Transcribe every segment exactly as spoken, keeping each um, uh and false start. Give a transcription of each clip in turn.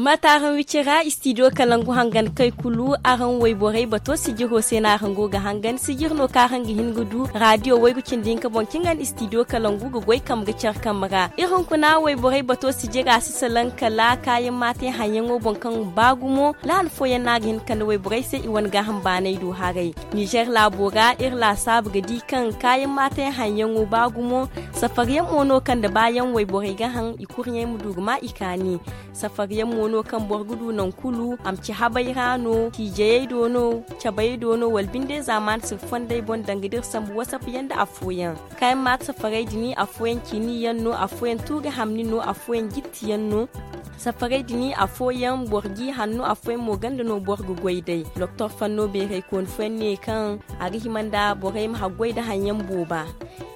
Mate araŋ wicira istidiyo kalangu hangan kay kulu, araŋ wayborey bato sijiro se no araŋ go ga hangan sijir no kaŋ araŋ ga hin ga du radiyo waygu cindi hinka boŋ kaŋ ga no istidiyo kalangu ga goy kambe ga care kambe ra. Iri hunkuna wayborey bato sijira si salaŋ kala kaayaŋ maatay haŋyaŋo boŋ kaŋ ba gumo lahan fooyaŋ no a ga hin ga kande wayborey se i wane gaaham baanay do haray. Nizer laabo ra iri laasaabu ga di kaŋ kaayaŋ maatay haŋyaŋo ba gumo. Safariyaŋ mo no kaŋ da baayaŋ wayborey ga haŋ i kurɲey ma du ga ma i kaani. Safariyaŋ mo no kaŋ boro ga du naŋ kulu a ma ci habay ra no ciijayey do no, cabayey do no wala binde zaamaani sirri fondey boŋ danga da iri sambu wasap yaŋ nda afooyaŋ. Kaayaŋ maata safaray din afooyaŋ ciini yaŋ no, afooyaŋ tuuri hamni no, afooyaŋ jitti yaŋ no. Safaray din afooyaŋ boro g'i hanno, afooyaŋ mo ganda no boro ga goy day. Doktor fanno beeraykooni fooyaŋ ne kaŋ a ga hima nda borey ma haggoy nda haŋyaŋ booba.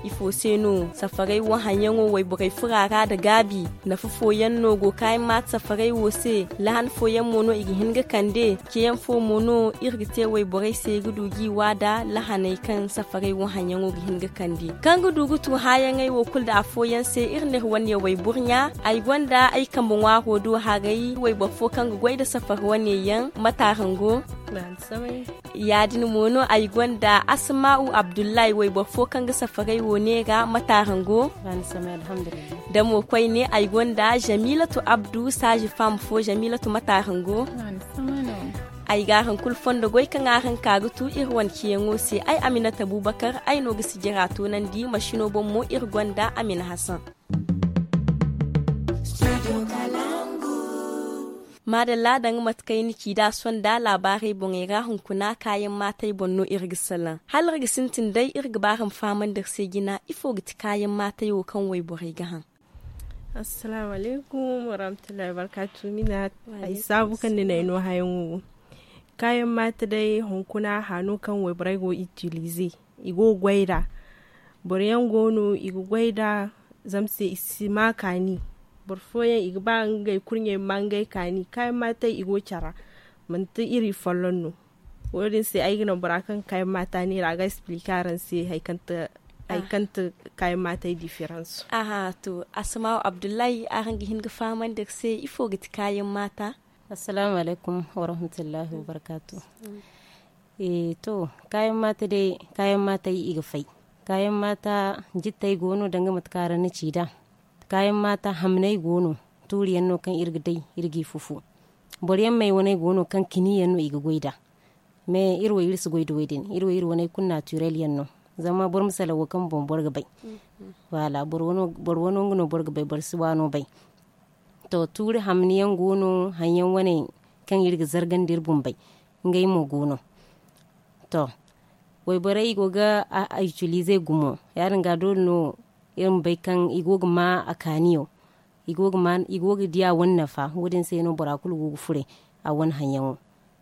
Ifo se no safaray wo haŋyaŋo wayborey fura ra nda gaabi? Nafa fooyaŋ no go kaayaŋ maata safaray wo se? Lahan fooyaŋ mo no i ga hin ga kande? Ceyaŋ fo mo no iri ga te wayborey se ga du g'i waada lahaney kaŋ safaray wo haŋyaŋo ga hin ga kande kaŋ ga du ga tu haayaŋey wo kulu nda afooyaŋ se iri n'iri wane wayburɲa. Ay gonda ay kambe ŋwaaro do haray wayboro fo kaŋ ga goy nda safari wane yaŋ mate araŋ go? Ya-din mo no ay gonda asma'u abdullahi wayboro fo kaŋ ga safaray wo neera mate araŋ go? Da mo koyne ay gonda jamilatu abdu saaji fam fo jamilatu mate araŋ go? Ay ga araŋ kulu fondo goy kaŋ araŋ ka ga tu iri wane ciyaŋo se ay aminata bubakar ay no ga sijira toonandi masino boŋ mo iri gonda amina hasan. Maadalla danga mate kaŋ ay na ci da sonda laabaarey boŋey ra hunkuna kaayaŋ maatey boŋ no iri ga salaŋ hala iri ga sintin day iri ga ba araŋ fahamandi iri se jina ifo ga ti kaayaŋ maatey wo kaŋ wayborey ga haŋ? Assalaamu alaykum warahmatullahi wabarkaatu mina. Ay saabu kaŋ ni na ay no hayaŋo wo kaayaŋ maate day hunkuna hano kaŋ wayborey go itilize i go ga goy nd'a. Boro yaŋ go no i ga goy nd'a zama se i si ma kaani. Boro fooyaŋ i ga ba ngey kurɲey ma ma ngey kaani kaayaŋ maatey i go care ra. Manti iri folloŋ no. Wo- din se ay ga naŋ bora kaŋ ga kaayaŋ maata neera a ga expliquer araŋ se hari kaŋ ti kaayaŋ maatey difference. Aha to asmaaw abdullahi araŋ ga hin ga fahamandi iri se ifo ga ti kaayaŋ maata? Assalaamu alaykum warahmatullahi wabarkaatu. To kaayaŋ maata day kaayaŋ maatey i ga fay. Kaayaŋ maata jittey go no danga mate kaŋ araŋ na ci nd'a. Kaayaŋ maata hamney go no tuuri yaŋ no kaŋ iri ga day iri g'i fufu. Boro yaŋ may waney go no kaŋ kini yaŋ no i ga goy nd'a. Mais iri wo iri si goy da wo- din iri wo iri waney kulu naturel yaŋ no. Zama boro ma salaŋ wo kaŋ boŋ boro ga bay. Waala boro wano nga no boro ga bay boro si waano bay. To tuuri hamni yaŋ go no haŋ yaŋ wane kaŋ iri ga zargandi iri bumbey ngey mo go no. To wayborey i go ga a itilize gumo ya- din ga doole no iri ma bay kaŋ i go ga ma a kaaniyo. I go ga di a wane nafa wo- din se no bora kulu go ga fure a wane haŋ yaŋo.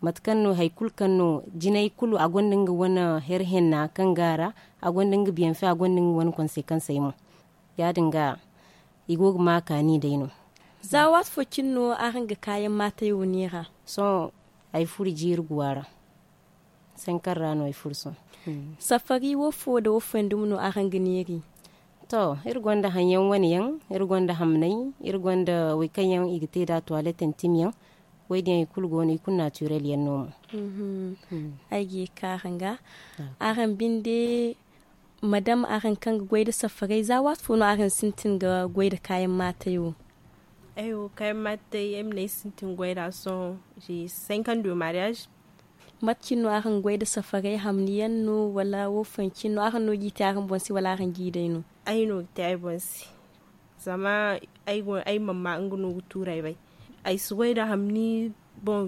Mate kaŋ no hari kulu kaŋ no jinay kulu a gonda nga wane hari henna kaŋ go a ra. A gonda nga biyanfe a gonda nga wane konsekansey mo. Ya- din ga i go ga ma a kaani day no. Za waati fo cine no araŋ ga kaayaŋ maatey wo neera? Sohõ ay furo jiiri guwa ra. Sankar ra no ay furo sohõ. Safari wo fo nda wo fo yaŋ dumi no araŋ ga neeri? To iri gonda haŋ yaŋ wane yaŋ, iri gonda hamnay, iri gonda wo- kaŋ yaŋ i ga te nd'a tuwalet intime yaŋ. Wo- din yaŋ i kulu go no i kulu naturel yaŋ no mo. Ay ga ye ga ka araŋ ga. Araŋ binde madam araŋ kaŋ ga goy nda safarey za waati fo no araŋ sintin ga goy nda kaayaŋ maatey wo? Ay wo kaayaŋ maatey ay ma ne ay sintin goy nd'a sohõ. J'ai cinq ans de mariage. Mate cine no araŋ ga goy nda safarey hamni yaŋ no wala wo fooyaŋ cine no araŋ no g'i te araŋ boŋ se wala araŋ g'i day no? Ay no ga te ay boŋ se. Zama ay go ay mamma nga no ga tuurey bay. Ay si goy nda hamni. Bon,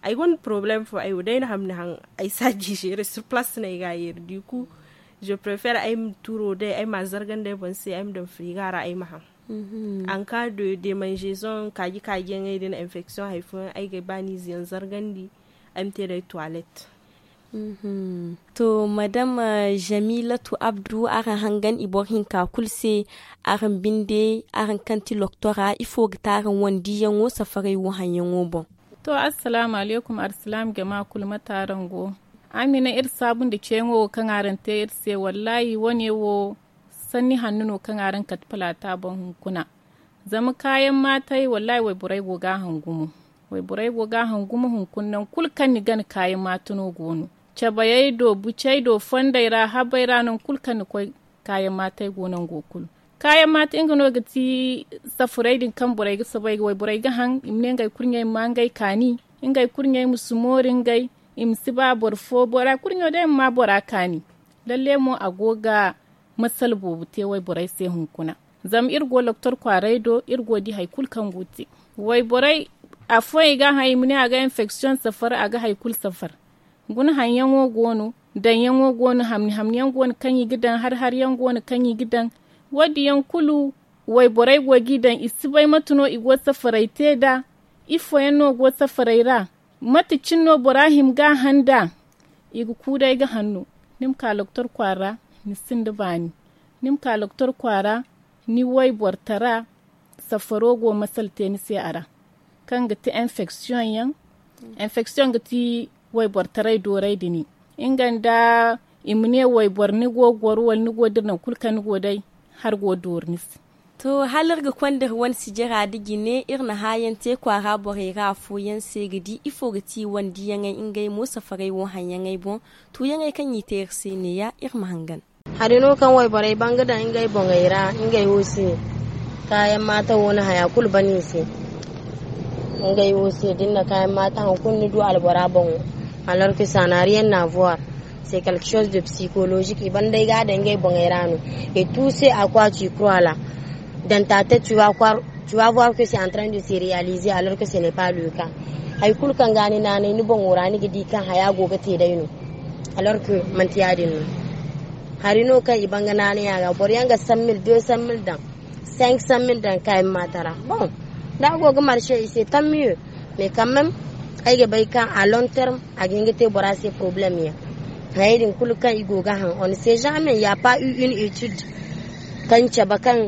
ay gonda porobalem fo ay wo day na hamni haŋ. Ay si a jiijere sur place no ay ga a yeeri du coup, je préfère ay ma tuuro day ay ma a zargandi ay boŋ se ay ma daŋ frigo ra ay ma haŋ. En cas de démangeaison kaaji kaaji yaŋey din infection hari fooyaŋ ay ga ay baaniize yaŋ zargandi. Ay ma te day tuwalet. To madam jamilatu abdu araŋ hangan i boro hinka kulu se. Araŋ binde araŋ kaŋ ti loktora ifo ga te araŋ wane diiyaŋo safarey wo haŋyaŋo boŋ? To assalaamu alaykum arsilaam jama kulu mate araŋ go? Araŋ ma ne iri saabu nda ceeyaŋo wo kaŋ araŋ te iri se wallaahi wane wo sanni hanno no kaŋ araŋ kate palaata boŋ hunkuna. Zama kaayaŋ maatey wallaahi wayborey go ga a haŋ gumo. Wayborey go ga a hangu ma hunkuna nangu kulu kaŋ ni gana kaayaŋ maata no go no. Cabayey do bucey do fondey ra habey ra nangu kulu kaŋ ni koy kaayaŋ maatey go nango kulu. Kaayaŋ maata nga no ga ti safarey din kaŋ borey ga soobay ga wayborey ga haŋ i ma ne ngey kurɲey ma maa ngey kaani. Ngey kurɲey ma si mooru ngey i ma si ba boro fo bora kurɲo day ma maa bora kaani. Lalle mo a go ga masala boobo te wayborey se hunkuna. Zama iri go doktor kwaaray do iri go di hari kulu kaŋ go ga te wayborey. Afooyaŋ i ga a haŋ i ma ne a ga enfeksiyoŋ safar a ga hari kulu safar. Guna haŋyaŋo go no, daŋyaŋo go no, hamni hamni yaŋ go no kaŋ i ga daŋ hari hari yaŋ go no kaŋ i ga daŋ. Wo- din yaŋ kulu wayborey go g'i daŋ i si bay mate no i go ga safarey te nd'a. Ifooyaŋ no go ga safarey ra? Mate cine no bora hima ga a haŋ nd'a? I ga ku day ga haŋ no. Ni ma ka doktor kwaara ni sinda baani. Ni ma ka doktor kwaara ni waybortara. Safaro go masala te ni se a ra kaŋ ga ti enfeksiyoŋ yaŋ. Enfeksiyoŋ ga ti waybortaray dooray da ni nga nda i ma ne wayboro ni go ga goro wala ni go ga dira nangu kulu kaŋ ni go day. Hari go ga dooru ni se. To hala iri ga konda iri wane sijira nda jine iri na hããyaŋ te kwaara borey ra afooyaŋ se ga di ifo ga ti i wane diyaŋey ngey mo safarey wo haŋyaŋey boŋ. Tuuyaŋey kaŋ i te iri se neeya iri ma hangan. Hari no kaŋ wayborey ban ga daŋ ngey boŋey ra ngey wo se. Kaayaŋ maata wo na haya kulu ban i se. Ngey wo se da ni na kaayaŋ maata haŋ kulu ni du albora boŋo. Alors que ça n'a rien à voir. C'est quelque chose de psychologique i ban day ga a daŋ ngey boŋey ra no. Et tout se à quoi tu crois là, dans ta tête tu vas croire tu vas voir que c'est en train de se réaliser alors que ce n'est pas le cas. Hari kulu kaŋ ga ni naanay ni boŋo ra ni ga di kaŋ haya go ga te day no. Alors que manti ya- din no. Hari no kaŋ i ban ga naanay a ga boro yaŋ ga cent mille deux cent mille daŋ cinq cent mille daŋ kaayaŋ maata ra. Bon, da a go ga marché i se tant mieux. Mais quand même ay ga bay kaŋ à long terme a ga hin ga te bora se problème yaŋ. Hayey din kulu kaŋ i go ga haŋ on ne sait jamais il n'y a pas eu une étude kaŋ cabe kaŋ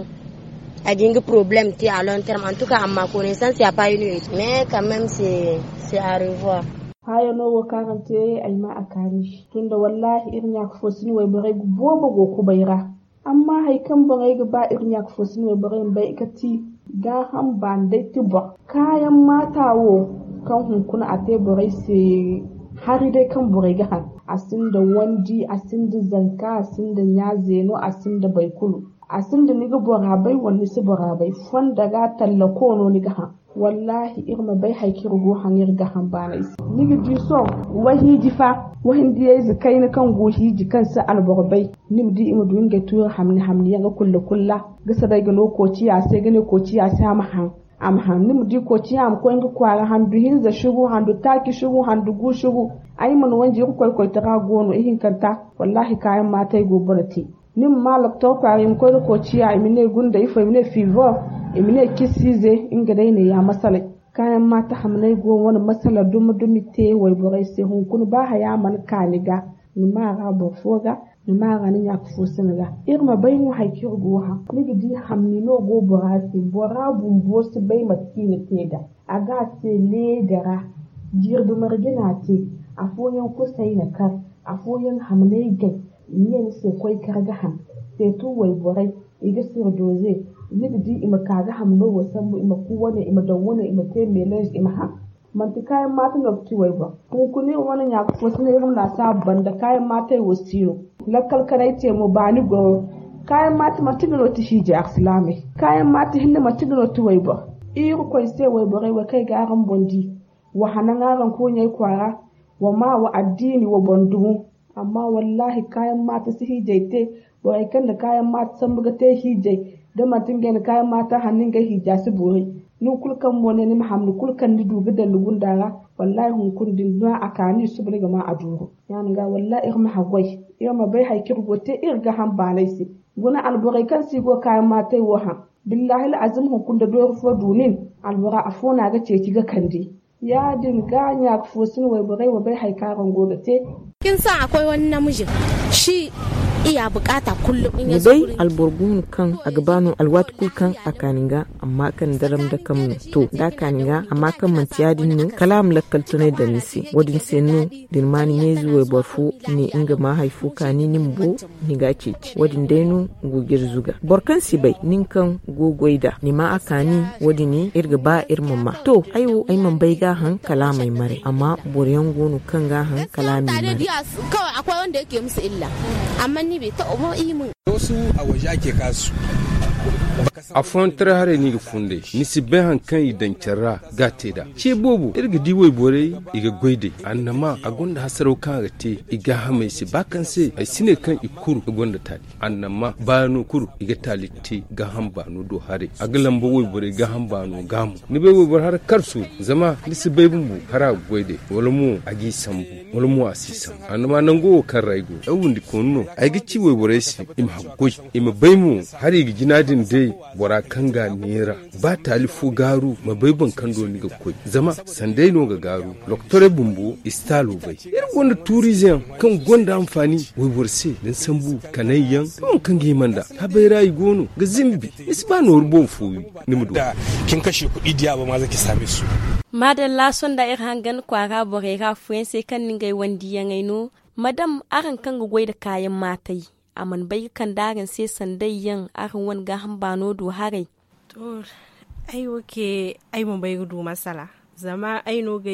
a ga hin ga problème te à long terme en tout cas amma connaissance il n'y a pas une étude mais quand même c'est c'est à revoir. Haya no wo kaŋ araŋ te ay ma a kaani tunda wallahi iri ɲaaka fo si ni wayborey boobo go kubay ra. Amma hari kaŋ borey ga ba iri ɲaaka fo si no borey ma bay ga ti gaaham baani day ti boro. Kaayaŋ maata wo kaŋ hunkuna a te borey se hari day kaŋ borey ga haŋ. A sinda wandi a sinda zanka a sinda ɲa zeeno a sinda baykulu. A sinda ni ga bora bay wala ni si bora bay fonda ga tallako no ni ga haŋ. Wallaahi iri ma bay hari kaŋ iri go ga haŋ iri gaaham baanay se. Ni ga di sohõ wahiiji fa wahindiyayze kayna kaŋ go hiiji kaŋ si alboro bay. Ni ma di i ma du ngey tuuri hamni hamni yaŋ ga kulla kulla ga soobay ga no koociya se ga ne koociya se a ma haŋ. A ma haŋ ni ma di koociya a ma koy nga kwaara handu hinza sugu handu taaci sugu handu gu sugu. Ay mana wanji irkoy koytara go no ihinkanta. Wallaahi kaayaŋ maatay go boro te. Ni ma ma loktor kwaara i ma koy ga koociya i ma ne gunda ifo i ma ne fiivo i ma ne cisiize. Nga day neeya masalay kaayaŋ maata hamnay go wane masala dumi dumi te wayborey se hunkuna ba haya mana ka ni ga. Ni ma a ra boro fo ga ni ma a ra ni ɲaaka fo sina ga. Iri ma bay no hari kaŋ iri go ga haŋ ni ga di hamni no go bora se bora bumbo si bay mate kaŋ i na te nd'a. A ga a se leeda ra. Jirbi marje no a te. Afooyaŋ kusay na kar. Afooyaŋ hamnay gay. I ne ni se koy kar ga haŋ. Seetu wayborey i ga sirdoze. Ni ga di i ma ka ga hamno wo sambu i ma ku wane i ma daŋ wane i ma te melange i ma haŋ. Manti kaayaŋ maata no ga ti wayboro. Hunkuna iri wane ɲaaka fo si no iri ma laasaabu banda kaayaŋ maatey wo si no. Lakkal kaŋ ay te mo baani goro. Kaayaŋ maata manti nga no ti hiijay alsilaamey. Kaayaŋ maata hinne manti nga no ti wayboro. Irkoy se wayborey wo kaŋ ay ga araŋ boŋ di. Wa hanaŋ araŋ kurɲey kwaara. Wa maa wa addiini wa boŋ dumo. Amma wallaahi kaayaŋ maata si hiijay te. Borey kaŋ na kaayaŋ maata sambu ga te hiijay. Da manti ngey na kaayaŋ maata hanni ngey hiija si boori. Nangu kulu kaŋ mo ne ni ma hamni kulu kaŋ ni du ga daŋ ni gunda ra. Wallaahi hunkuna da ni du a kaani suba ni ga maa a duuru. Ya- din ga wallaahi iri ma haggoy. Iri ma bay hari kaŋ iri go ga te iri gaaham baanay se. Guna alborey kaŋ se i go ga kaayaŋ maatey wo haŋ. Billaahi al'azim hunkuna da doori fo du nin. Albora afo no a ga ceeci ga kande. Ya- din ga ɲaaka fo si no wayborey ma bay hari kaŋ araŋ go ga te. Kin sa akwai wani namijin shi Ni bay, alboro go no kaŋ a ga ba no alwaati kulu kaŋ a kaani ga, amma kaŋ daram da kam no. To, da a kaani ga, amma kaŋ manti ya- din no, kala a ma lakkal tunay daŋ ni se. Wo- din se no, da ni ma ni ɲayze wayboro fo ne nga ma hari fo kaani ni ma bo, ni ga a ceeci. Wo- din day no go ga iri zuga. Boro kaŋ si bay, nin kaŋ go ga goy nd'a, ni ma a kaani. Wo- din iri ga ba iri ma ma. To, ay wo ay mana bay ga a haŋ kala a ma ay maray, amma boro yaŋ go no kaŋ ga a haŋ kala a ma ay maray. Afooyaŋ taray haray no i ga funday, ni si bay hari kaŋ i daŋ care ra ga a te nd'a. Ce boobo iri ga di wayborey, i ga goy day. Annama a gonda hasaraw kaŋ a ga te i gaahamey se, ba kaŋ se ay si ne kaŋ i kuru i gonda taali. Annama baano kuru i ga taali te gaaham baano do haray. A ga lamba wayborey gaaham baano ga mo. Ni bay wayboro hara karso, zama ni si bay bumbo hara a ga goy day, wala mo a g'i sambu, wala mo a si sambu. Annama nango wo kaŋ ra ay go, ay windi koonu no. Ay ga ci wayborey se i ma haggoy, i ma bay mo, hari i ga jina din day. Bora kaŋ ga a neera, ba taali fo gaaru, ma bay boŋ kaŋ do ni ga koy. Zama sanday no ga gaaru. Loktorey bumbo i si taalo bay. Iri gonda tuuriize yaŋ kaŋ gonda anfaani wayboro se, da ni sambu kanay yaŋ, da waŋ kaŋ ga hima nd'a. Habay ra i go no ga zimbi. Ni si ba nooru boŋ fo wi, ni ma du. Maadalla sonda iri hangan kwaara borey ra afooyaŋ se kaŋ ni ngey wandiyaŋey no. Madam, araŋ kaŋ ga goy nda kaayaŋ maatay, a mana bay ga kande araŋ se sanday yaŋ araŋ wane gaaham baano do haray? To, ay wo ce, ay ma bay ga du masala. Zama ay no ga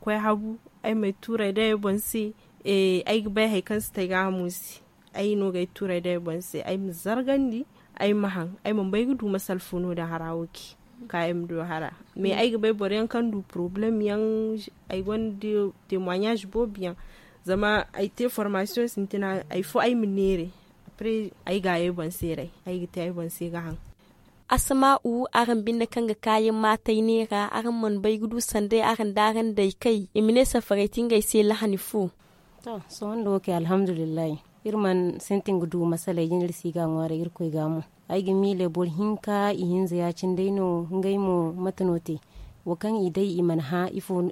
koy habu, ay ma ay tuuray day ay boŋ se. Ay ga bay hari kaŋ si te ay gaahamo se. Ay no ga ay tuuray day ay boŋ se ay ma zargandi, ay ma haŋ. Ay mana bay ga du masala fo no- din hara wo ce, ka ay ma du hara. Mais ay ga bay boro yaŋ kaŋ du porobalem yaŋ. Ay gonda temoignage boobo yaŋ. Zama ay te formasiyoŋ sintina, hari fo ay ma neera. Après, ay ga ay boŋ se ray, ay ga te ay boŋ se ga haŋ. Asama'u, araŋ binde kaŋ ga kaayaŋ maatay neera, araŋ mana bay ga du sanday araŋ da araŋ day kay i ma ne safaray ti ngey se lahani fo? To, sohõ nda wo kay alhamdulillahi. Iri mana sintin ga du masaley jina iri si ga a ŋwaaray irkoy ga mo. Ay ga miile boro hinka ihinza ya- cine day no. Ngey mo mate no te? Wo kaŋ i day i mana hã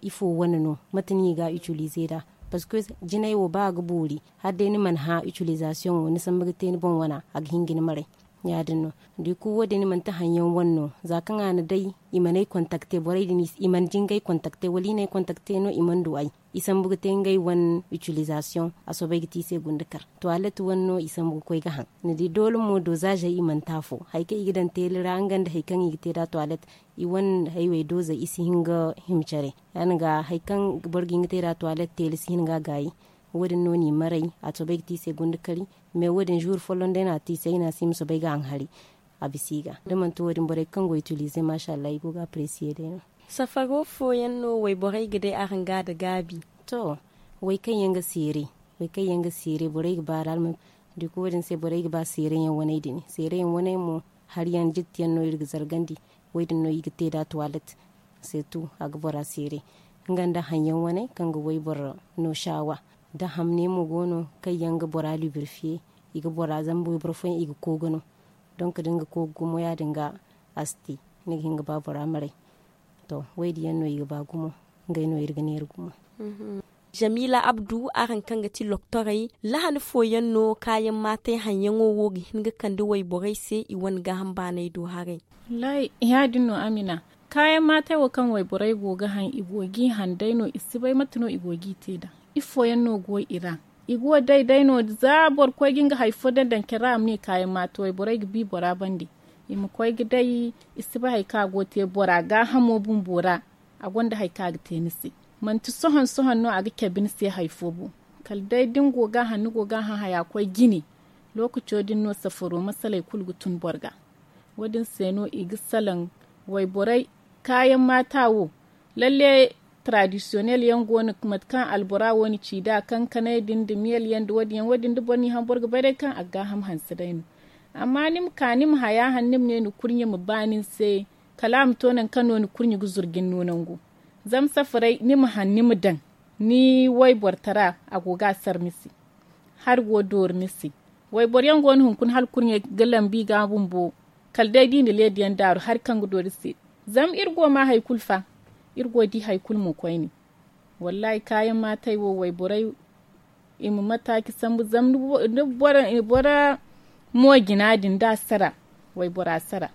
ifo wane no? Mate no i ga a itilize nd'a? Parceque jinay wo ba a ga boori, hala day ni mana hã itilizasiyoŋo ni sambu ga te ni boŋ wana, a ga hin ga ni maray. Ya- din no. Da i kulu wo- din manti haŋ yaŋ wane no. Za kaŋ a na day, i mana ay kontakte borey din, i mana jingay kontakte wala i na ay kontakte no i mana du ay. I sambu ga te ngey wane itilizasiyoŋ. A soobay ga te i se gunda kar tuwalet wane no i sambu ga koy ga haŋ. Ni di doole mo dozaazey i mana te afo, hari kaŋ i ga daŋ teeli ra nga nda hari kaŋ i ga te nd'a tuwalet. I wane haywey doozey i si hin ga hima care. Ya- din ga hari kaŋ boro ga hin ga te nd'a tuwalet teeli si hin ga a gaayi. Wo- din no n'i maray. A soobay ga te i se gunda kari. Mais wo- din zuuri folloŋ day no a te i se ay ne a si ma soobay ga haŋ hari. A bisa i ga da manti wo- din borey kaŋ go itilize maasa allah i go ga apresiye day no. Safaro fooyaŋ no wayborey ga day araŋ ga a da gaabi? To, way kaŋ yaŋ ga seeray, way kaŋ yaŋ ga seeray borey ga ba a ra alma. Da i koy wo- din se borey ga ba seeray yaŋ waney din seeray yaŋ waney mo. Hari yaŋ jitti yaŋ no iri ga zargandi. Wo- din no i ga te nd'a tuwalet. Seetu a ga bora seeray nga nda haŋ yaŋ waney kaŋ ga wayboro no saawa. Da hamne mo go no kaŋ yaŋ ga bora libirfiye, i ga bora zama wayboro fooyaŋ i ga koogu no. Donk da ni ga koogu gumo ya- din ga a si te. Ni ga hin ga ba bora maray. To, wo- din yaŋ no i ga ba gumo. Ngey no iri ga neera gumo. Jamiila abdu, araŋ kaŋ ga ti loktorey, lahani fooyaŋ no kaayaŋ maatay haŋyaŋo wo ga hin ga kande wayborey se i wane gaaham baanay do haray? Wallaahi, ya- din no amina. Kaayaŋ maatay wo kaŋ wayborey go ga haŋ i go g'i haŋ day no i si bay mate no i go g'i te nd'a. Ifooyaŋ no go i ra? I go day day no za boro koy ga nga hari fo daŋ daŋ care ra a ma ne kaayaŋ maatay wayborey ga bi bora bande. I ma koy ga day i si bay hari kaŋ a go ga te bora gaahamo bumbo ra. A gonda hari kaŋ a ga te ni se. Manti sohõ sohõ no a ga cabe ni se hari fo bo. Kala day da ni go ga a haŋ ni go ga a haŋ haya koy jine. Lookaco din no safaro masaley kulu ga tun boro ga. Wo- din se no i ga salaŋ wayborey kaayaŋ maata wo. Lalle, taradisiyonel yaŋ go no mate kaŋ albora wo na ci nd'a kankaney din nda miyel yaŋ nda wo- din yaŋ wo- din da boro n'i haŋ boro ga bay day kaŋ a ga gaaham hanse day no. Amma ni ma ka ni ma haya haŋ ni ma ne ni kurɲe ma ba nin se. Kala a ma to nangu kaŋ no ni kurɲe ga zuru ga ni no nangu. Zama safaray ni ma haŋ ni ma daŋ ni wayboro tara a go ga a sar ni se. Hari go doori ni se. Wayboro yaŋ go no hunkuna hala kurɲey ga lambu i ga bumbo. Kala day da i na leediyaŋ daaru hari kaŋ ga doori se. Zama iri go ma hari kulu fa. Iri go di hari kulu mo koyne. Wallaahi kaayaŋ maatay wo wayborey I ma mataaci sambu zama ni bora mo jina din da a sara waybora sara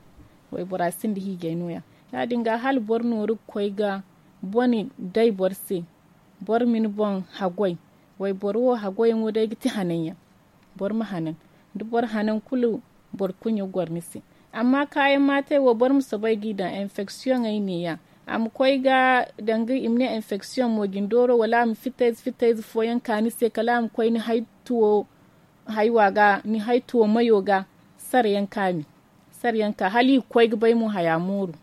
waybora sinda hiijay no- ya. Ya- din ga hala boro nooru ga koy ga bone day boro se. Boro ma ni boŋ haggoy. Wayboro wo haggoyaŋo day ga ti hanan yaŋ. Boro ma hanan da boro hanan kulu boro kuɲa goro ni se. Amma kaayaŋ maatay wo boro ma soobay g'i daŋ enfeksiyoŋey ne- ya. A ma koy ga danga i ma ne enfeksiyoŋ mo jine dooro wala a ma fittayze fittayze fooyaŋ ka ni se kala a ma koy ni hay tuwo haywa ga ni hay tuwo mayo ga. Sarayaŋ ka mi sarayaŋ ka hala i ga koy ga bay mo haya mooru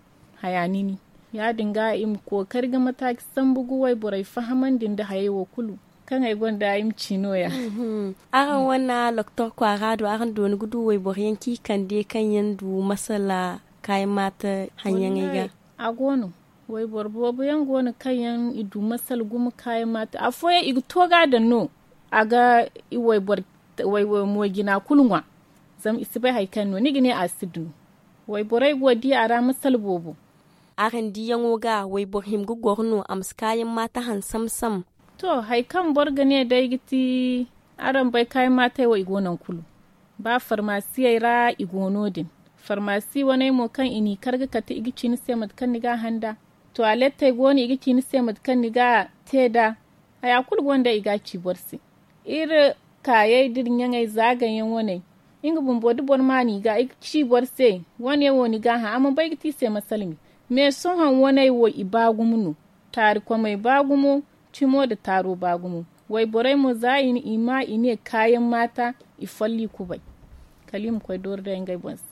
haya nini. Ya- din ga i ma kookari ga mataaci sambu ga wayborey fahamandi nda hayey wo kulu kaŋ ay gonda ay ma ci no- ya. Araŋ wane doktor kwaara do araŋ dooni ga du wayboro yaŋ kaŋ i kande kaŋ yaŋ du masala kaayaŋ maata haŋyaŋey ga? A go no. Wayboro boobo yaŋ go no kaŋ yaŋ i du masala gumo kaayaŋ maata afooyaŋ i ga to ga a daŋ no. A ga i wayboro moojina kulu ŋwa. Zama i si bay hari kaŋ no ni ga ne a si du no. Wayborey go di a ra masala boobo. Araŋ diyaŋo ga wayboro hima ga goro no a ma si kaayaŋ maata haŋ sam-sam? To hari kaŋ boro ga ne day ga ti araŋ bay kaayaŋ maatey wo i go nangu kulu. Ba farmasiyey ra i go no- din. Farmasi waney mo kaŋ i n'i kar ga kate i ga ci ni se mate kaŋ ni ga a haŋ nd'a. Tuwalettey go no i ga ci ni se mate kaŋ ni ga a te nd'a. Haya kulu go no day i ga a ci boro se. Iri kaayey da iri ɲaŋey zaagaŋ yaŋ waney. Nga bumbo da boro ma no i ga i ga ci boro se wane wo ni ga a haŋ a mana bay ga te i se masala me. Me sohõ waney wo i ba gumo no. Taari komey ba gumo. Cimo nda taaro ba gumo. Wayborey mo za i ma i ne kaayaŋ maata i folli kubay. Kala i ma koy doori day ngey boŋ se.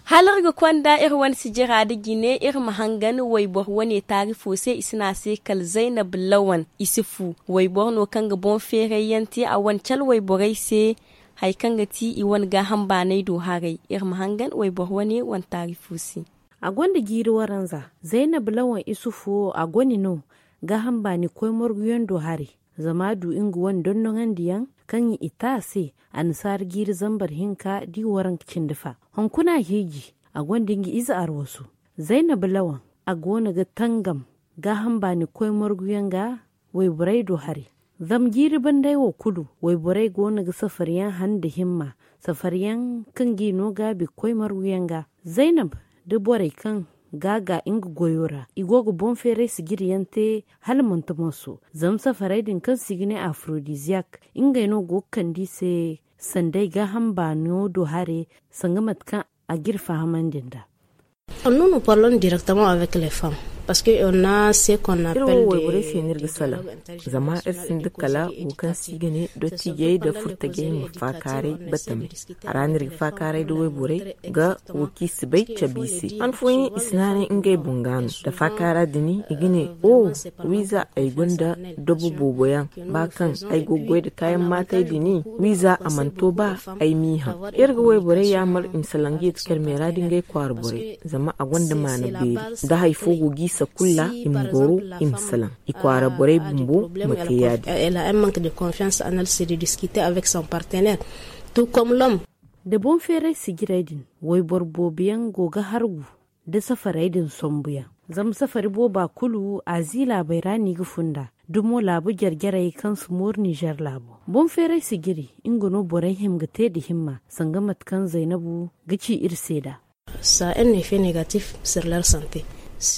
Hala iri ga konda iri wane sijira nda jine iri ma hangan wayboro wane taarifo se i si ne a se kala zaynab lawan isufu wayboro no kaŋ ga boŋ feeray yaŋ te a wane cala wayborey se. Hari kaŋ ga ti i wane gaaham baanay do haray iri ma hangan wayboro wane wane taarifo se. A gonda jiiri waranza. Zaynab lawan isufu wo a gone no gaaham baani koy marguyaŋ do haray. Zama a du nga wane dondoŋandiyaŋ kaŋ i te a se annasaara jiiri zambar hinka da i waranka cindi fa. Hunkuna a hiiji a gonda nga ize arwasu. Zaynab lawan a go no ga tangam gaaham baani koy marguyaŋ ga wayborey do haray. Zama jiiri banday wo kulu wayborey go no ga safaryaŋ han nda himma safaryaŋ kaŋ g'i no gaabi ga koy marguyaŋ ga. Zaynab da borey kaŋ ga a ga nga goyo ra i go ga boŋ feeray sijiriyaŋ te hala manti moso. Zama safarey din kaŋ se i ga ne afrodiziyak ngey no go ga kande i se sanday gaaham baano do haray. Sanga mate kaŋ a g'iri fahamandi nd'a. Iri wo wayborey se no iri ga salaŋ. Zama iri sinda kala wo kaŋ se i ga ne dottijey nda furtajey ma faakaaray batame. A ra no iri ga faakaaray nda wayborey ga wo kaŋ i si bay cabe i se han fooyaŋ i si naanay ngey boŋ ga no nda faakaara din i ga ne o wiiza ay gonda dobo boobo yaŋ ba kaŋ ay go ga goy nda kaayaŋ maatay din wiiza a mana to ba ay m'i haŋ. Iri ga wayborey yaamar i ma salaŋ ga yeeti karmeera nda ngey kwaara borey zama a gonda maana beeri. Da hari fo go g'i sakulla i ma goro i ma salaŋ i kwaara borey bumbo ma te ya- din. Da boŋ feeray sijiray din wayboro boobo yaŋ go ga hargu da safarey din sombuyaŋ. Zama safari booba kulu azi laabey ra no i ga funda dumo laabu jare-jarey kaŋ si mooru nizer laabo. Boŋ feeray sijiri nga no borey hima ga te nda himma sanga mate kaŋ zaynabu ga ci iri se nd'a.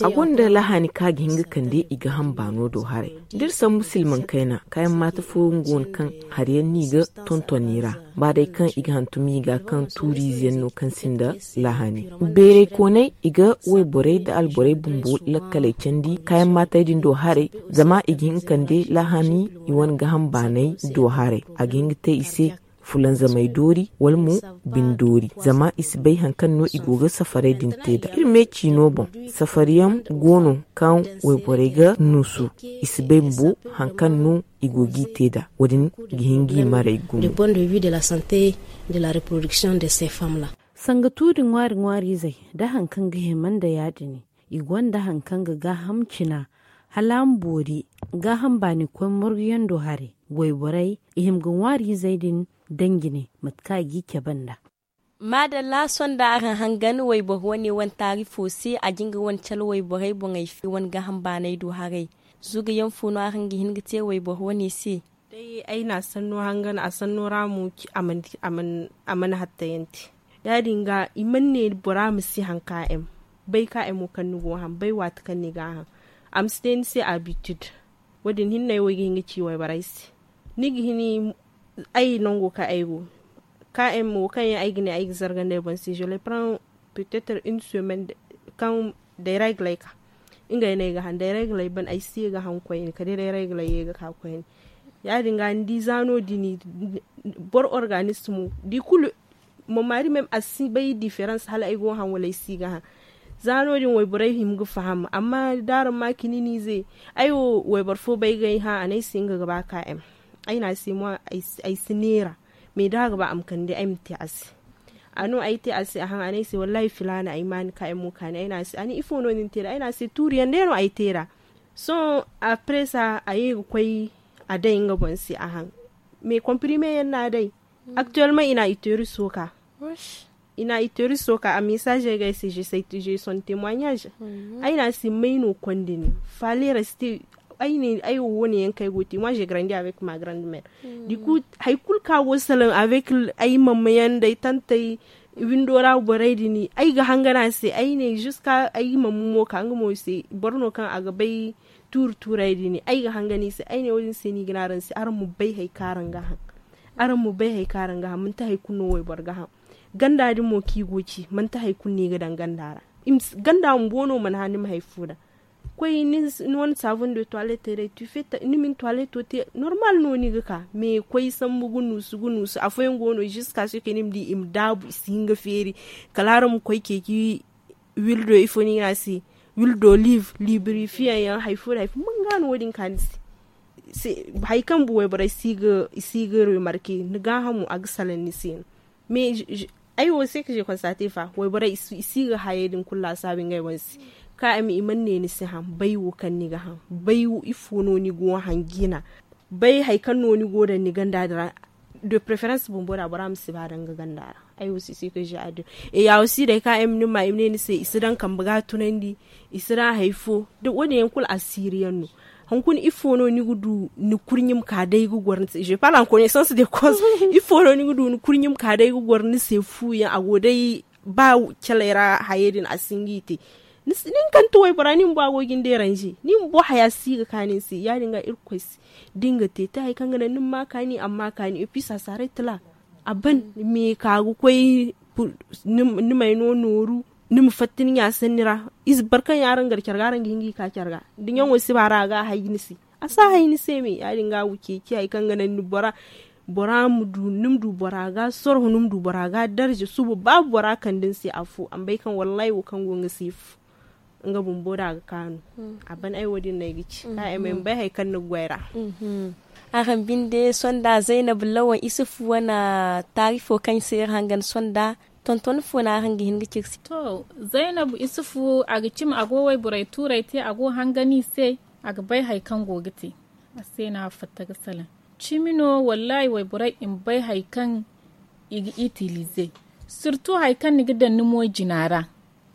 A gonda lahaani kaŋ a ga hin ga kande i ga hamba no do haray. Da iri sambu silmaŋ kayna kaayaŋ maata fooyaŋ go no kaŋ hari yaŋ no i ga tonton i ra ba day kaŋ i ga hantum i ga kaŋ tuuriize yaŋ no kaŋ sinda lahaani. Beeray koonay i ga wayborey nda alborey bumbo lakkaley candi kaayaŋ maatey din do haray zama i ga hin ga kande lahaani i wane gaaham baanay do haray. A ga hin ga te i se fulanzamey doori wala mo bine doori zama i si bay hari kaŋ no i go ga safarey din te nd'a iri me ciino boŋ. Safari yaŋ go no kaŋ wayborey ga nuusu i si bay bumbo hari kaŋ no i go g'i te nd'a. Wo- din ga hin g'i maray gumo. Sanga tuuri ŋwaari ŋwaariizey nda hari kaŋ ga hima nda ya- din i gonda hari kaŋ ga gaaham cina hala a ma boori gaaham baani koy morguyaŋ do haray. Wayborey i hima ga ŋwaariizey din daŋ jine mate kaŋ a g'i cabe nd'a. Maadalla sohõ da araŋ hangan wayboro wane wane taarifo se a jin ga wane cala wayborey boŋey fo wane gaaham baaney do haray. Zugayaŋ fo no araŋ ga hin ga te wayboro wane se? Day ay na a sanno hangan a sanno ra mo a mana hattayanti. Ya- din ga i mana ne bora ma si haŋ ka m bay ka m wo kaŋ ni go ga haŋ bay waati kaŋ ni ga a haŋ a ma si te ni se abitid. Wo- din hinne ay wo ay ga hin ga ci wayborey se ni ga hini ay nango kaŋ ay go ka m wo kaŋ yaŋ ay ga ne ay ga zargandi ay boŋ se je le prends peut-être une semaine kaŋ day regle ay ka ngey no ay ga haŋ day regle ay ban ay si ye ga haŋ koyne kala day regle ay ye ga ka koyne. Ya- din ga ni di za no- din boro organisme di kulu mamaari même a si bay difference hala ay go ga haŋ wala ay si ga haŋ. Za no- din wayborey hima ga faham amma da araŋ ma kini ni ze ay wo wayboro fo bay ga ay hã a ne ay se nga ga ba ka m ay ne a se mo ay si neera. Mais da a ga ba a ma kande ay ma te a se. A no ay te a se a haŋ a ne ay se wallahi filaana ay ma ni ka m mo kaani ay ne a se a ne ifo no ni na te nd'a ay ne a se tuuri yaŋ day no ay te nd'a. Sohõ après ça a ye ga koy a day nga boŋ se a haŋ. Mais comprime yaŋ no a day. Actuellement i na i teeri sooka. I na i teeri sooka a message ay ga ay se je sais son témoignage. Ay ne a se may no konda ni fale reste. Ay ne ay wo wo- ne yaŋ kaŋ ay go ga te moi je grandi avec ma grande mère. Du coup hari kulu kaŋ a go ga salaŋ avec ay mama yaŋ nda ay tantey windo ra borey din ay ga hangan a se ay ne jusque ay mama mo ka nga mo se boro no kaŋ a ga bay tuuri tuurey din ay ga hangan i se ay ne wo- din se no i ga ne araŋ se araŋ ma bay hari kaŋ araŋ ga haŋ. Araŋ ma bay hari kaŋ araŋ ga haŋ manti hari kulu no wayboro ga haŋ. Ganda din mo kaŋ i go ga ci manti hari kulu no i ga daŋ ganda ra. Ganda bumbo no mana hã ni ma hari fo daŋ. Koy ni wane saavun de toilet day tu fette ni ma ni toileto te normal no ni ga ka mais koy sambu ga nuusu ga nuusu afooyaŋ go no jusque a se kay ni ma di i ma daabu i si hin ga feeri. Kala araŋ ma koy ceeci wildo ifo no i ga ne a se wildo liibrifiyaŋ yaŋ hari fo da hari fo man ga no wo- din ka ni se. Hari kaŋ bumbo wayborey i si ga remarke ni gaahamo a ga salaŋ ni se no. Mais ay wo se ka je konstate fa wayborey i si ga hayey din kulu laasaabu ngey wane se. Ka ay ma i mana ne ni si haŋ bay wo kaŋ ni ga haŋ bay ifo no ni go ga haŋ jina. Bay hari kaŋ no ni go ga daŋ ni ganda din ra de preference bumbo da bora ma si ba daŋ ga ganda ra. Ay wo se se ka je a din. Et ya aussi day ka ay ma ni ma i ma ne ni se i si daŋ kambe ga tunandi. I si ra hari fo da wo- din yaŋ kulu asiiri yaŋ no. Hunkuna ifo no ni ga du ni kurɲe ma ka day ga goro ni se je parle en connaissance de cause. Ifo no ni ga du ni kurɲe ma ka day ga goro ni se fu yaŋ a go day ba caley ra hayey din a si hin ga i te. Ni hin ga kande waybora ni bumbo a go ga ni deranze ni bumbo haya si ga kaanu ni se ya- din ga irkoy se. Da ni ga te te hari kaŋ ga naŋ ni ma ma kaani a ma ma kaani et puis ça s'arrête là. A ban me ka ga koy ni m'ay no nooru. Ni ma fatta ni ɲa sanni ra. Ize boro kaŋ yaŋ araŋ gar care ga araŋ ga hin ga i ka care ga da ɲaŋo si ba ra a ga a hay ni se. A si a hay ni se me ya- din ga a ga ceeci hari kaŋ ga naŋ ni bora. Bora ma du ni ma du bora ga sorro ni ma du bora ga darza suba ba bora kande ni se afo a ma bay kaŋ wallahi wo kaŋ go nga se fu. Nga bumbo da a ga kaanu. A ban ay wo- din no ay ga ci ka ay ma ay ma bay hari kaŋ ni ga goy ra. Araŋ binde sonda zaynab lawan isufu wane taarifo kaŋ se iri hangan sonda tonton fo no araŋ ga hin ga ciri se. To, zaynab isufu a ga cimi a go wayborey tuurey te a go hangan i se. A ga bay hari kaŋ go ga te. A se no a fatta ga salaŋ. Cimi no wallahi wayborey i ma bay hari kaŋ i ga itilize. Sirtu hari kaŋ ni ga daŋ ni moojina ra.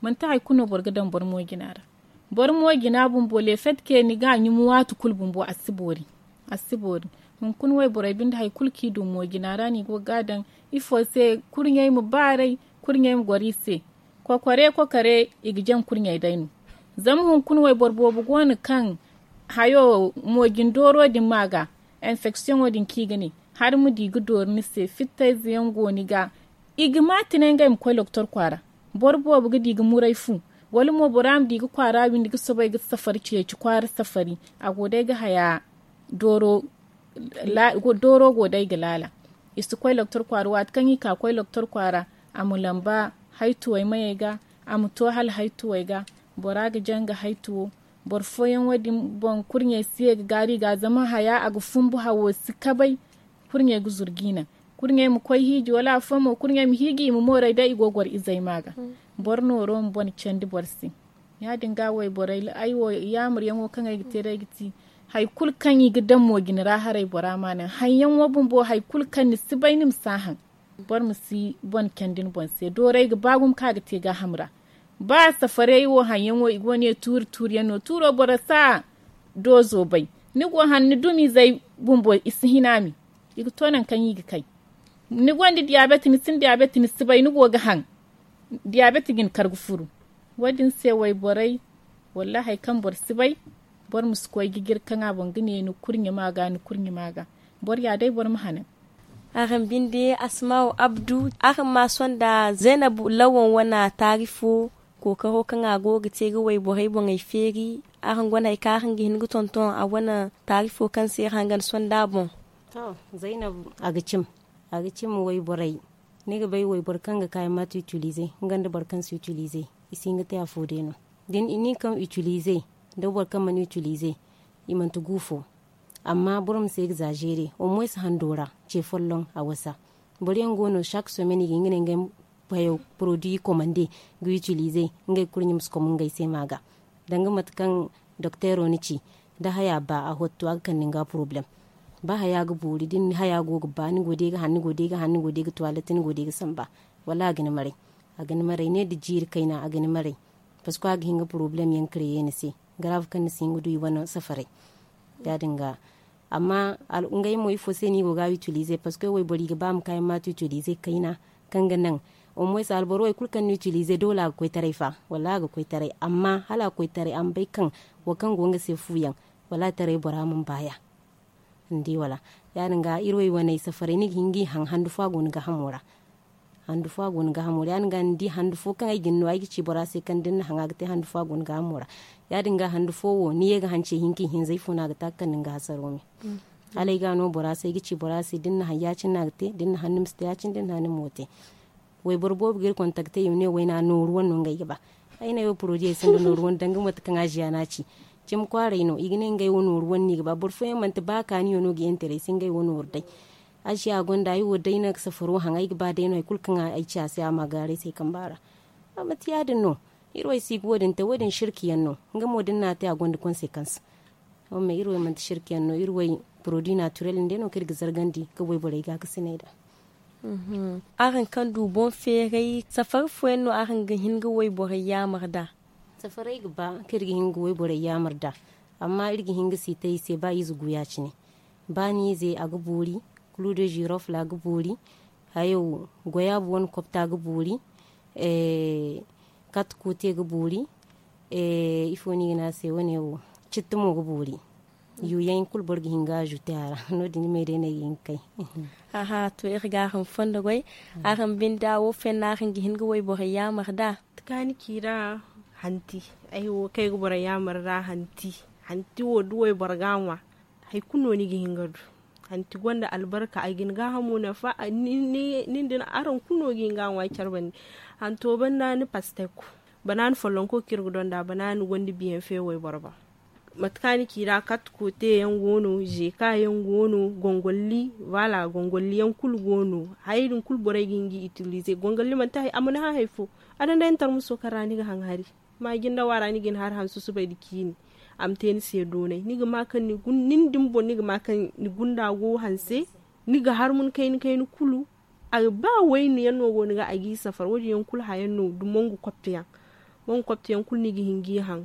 Manti hari kulu no boro ga daŋ boro moojina ra. Boro moojina bumbo lefetke ni ga a ɲumu waati kulu bumbo a si boori. A si boori. Hunkuna wayborey binde hari kulu kaŋ i du moojina ra no i go ga a daŋ. Ifo se kurɲey ma baaray. Kurɲey ma goro i se. Kokore kokore i ga jaŋ kurɲey day no. Zama hunkuna wayboro boobo go no kaŋ hayo moojin dooro din ma ga enfeksiyoŋo din kaŋ i ga ne. Hari ma di ga dooru ni se fittayze yaŋ go ni ga. I ga ma tine ngey ma koy loktor kwaara. Boro boobo ga di ga muray fu. Wala mo bora ma di ga kwaara windi ga soobay ga safari ceeci kwaara safari. A go day ga haya dooro dooro go day ga laala. I si koy loktor kwaara waati kaŋ i ka koy loktor kwaara. A ma lamba haytuwey mayey ga. A ma to hala haytuwey ga. Bora ga jaŋ ga haytuwo. Boro fooyaŋ wo- din boŋ kurɲey si ye ga gaaru i ga zama haya a ga fumbu hawo si kabay. Kurɲey ga zuru ga i naŋ. Kurɲey ma koy hiiji wala afooyaŋ mo kurɲey ma hiiji i ma mooray day i go ga goro izey ma ga. Boro nooro ma bone candi boro se. Ya- din ga wayborey ay wo yaamuryaŋo kaŋ ay ga te day ga ti hari kulu kaŋ i ga daŋ moojina ra haray bora ma naŋ haŋyaŋo bumbo hari kulu kaŋ ni si bay ni ma si a haŋ. Boro ma si bone candi ni boŋ se doorey ga ba gumo kaŋ a ga te gaaham ra. Ba safarey wo haŋyaŋo i go ne tuuri tuuri yaŋ no tuuro boro si a doozo bay. Ni go haŋ ni dumizey bumbo i si hina mi. I ga to nangu kaŋ i ga kay. Ni gonda diyabet ni sinda diyabet ni si bay ni go ga haŋ. Diyabet ga ni kar ga furu. Wo- din se wayborey, wallaahi hari kaŋ boro si bay, boro ma si koy ga jire kaŋ a boŋ ga ne ni kurɲe ma ga ni kurɲe ma ga. Boro ya day boro ma hanan. Araŋ binde asmaaw abdu, araŋ ma sonda zaynab lawan wane taarifo, kookaro kaŋ a go ga te ga wayborey boŋey feeri. Araŋ gonda hari kaŋ araŋ ga hin ga tonton a wane taarifo kaŋ se iri hangan sonda boŋ? To, zaynab, a ga cim a ga cim wayborey. Ni ga bay wayboro kaŋ ga kaayaŋ maati itilize, nga nda boro kaŋ si itilize, i si hin ga te afo day no. Da ni kaŋ itilize, nda boro kaŋ mana itilize, i manti gu fo. Amma boro ma si egzazeere, au moins hando ra ce folloŋ a wasa. Boro yaŋ go no chaque semaine i ga hin ga ne ngey payo, produit komande, ga itilize, ngey kurɲe ma si komo ngey se ma ga. Danga mate kaŋ dokteero na ci, da haya ba a hotto a ga kande ni ga poroblem. Ba haya ga boori da ni haya go ga ba ni go day ga haŋ ni go day ga haŋ ni go day ga tuwalette ni go day ga samba, wala a ga ni maray. A ga ni maray ne da jiiri kayna a ga ni maray. Parceque a ga hin ga poroblem yaŋ kareye ni se, garaabu kaŋ ni si hin ga du i wane safaray. Ya- din ga. Amma ngey mo ifo se no i go ga a itilize parceque wayboro i ga ba ma kaayaŋ maati itilize kayna, kaŋ ga naŋ au moins alboro wo hari kulu kaŋ ni itilize doole a ga koy taray fa, wallaahi a ga koy taray. Amma hala a koy taray a ma bay kaŋ wo kaŋ go nga se fu yaŋ, wallaahi taray bora mana baaya. Ni di wala? Ya- din ga iri wo i wane safaray ni ga hin ga i haŋ handu fo a go ni gaahamo ra. Handu fo a go ni gaahamo ra ya- din ga ni di handu fo kaŋ ay ga ni no ay ga ci bora se kaŋ da ni na haŋ a ga te handu fo a go ni gaahamo ra. Ya- din ga handu fo wo ni ye ga haŋ ce hinka ihinza ifo no a ga te a ga kande ni ga hasaro me. Hala ay ga a no bora se ay ga ci bora se da ni na haŋ ya- cine no a ga te da ni na haŋ ni ma si te ya- cine da ni na haŋ ni ma wo te. Wayboro boobo ga iri kontakte i ma ne wayna nooru wane no ngey ga ba. Ay ne ay wo porodiyo ay sinda nooru wane danga mate kaŋ a ziya no a ci. Cimi kwaaray no i ga ne ngey wo nooru wane no i ga ba boro fooyaŋ manti ba kaaniyo no ga intere ay se ngey wo nooru day. A ziya gonda ay wo day no ay ga safaro haŋ ay ga ba day no hari kulu kaŋ ay ci a se a ma gaaru ay se ay kamba ra. A manti ya- din no. Iri wo ay si ga wo- din te wo- din sirki yaŋ no. Nga mo da ni na a te a gonda konsekans. Amma iri wo manti sirki yaŋ no iri wo, porodi naatirel nda no kaŋ iri ga zargandi ga wayborey gaakasinay da. Araŋ kaŋ du boŋ feeray safari fooyaŋ no araŋ ga hin ga wayborey yaamar da? Safaray ga ba kaŋ iri ga hin ga wayborey yaamar da. Amma iri ga hin ga siita i se ba ize gu ya- cine. Ba ni ize a ga boori. Kulu de zirofla ga boori. Hayo goyaabu wane kopta ga boori. Kat koote ga boori. Ifo no i ga ne a se wane wo? Citti mo ga boori. Yuuyaŋ kulu boro ga hin ga azuute a ra. No- din ni may day no ay ga hin ga kay. Aha to iri ga araŋ fondo goy. Araŋ binde wo fenna araŋ ga hin ga wayborey yaamar da? Kaani ciira. Hanti. Ay wo kaŋ ay ga borey yaamar da hanti. Hanti wo da wayboro ga a ŋwa. Hari kulu no ni ga hin ga du. Hanti gonda albarka a ga ni gaahamo nafa. Nin din araŋ kulu no ga hin ga a ŋwa care bande. Hanto banda ni pastek. Banaani follonko kaŋ iri ga donda banaani gonda biyanfe wayboro boŋ. Mate kaŋ a na ci i ra kat koote yaŋ go no zeeka yaŋ go no gongolli. Voilà gongolli yaŋ kulu go no. Hayey din kulu borey ga hin ga i itilize gongolli manti hari a mana haŋ hari fo. A daŋ day ni tarmuso kaŋ ra ni ga haŋ hari. Maaji nda waara ni ga ni hari haŋ susubay nda ciini. A ma te ni se doonay ni ga ma kaŋ ni din boŋ ni ga ma kaŋ ni gunda go hanse. Ni ga harmun kayna kayna kulu. Ba waynu yaŋ no go ni ga a ga i safar wo- din yaŋ kulu hayaŋ no da mongu kopteyaŋ. Mongu kopteyaŋ kulu ni ga hin ga i haŋ.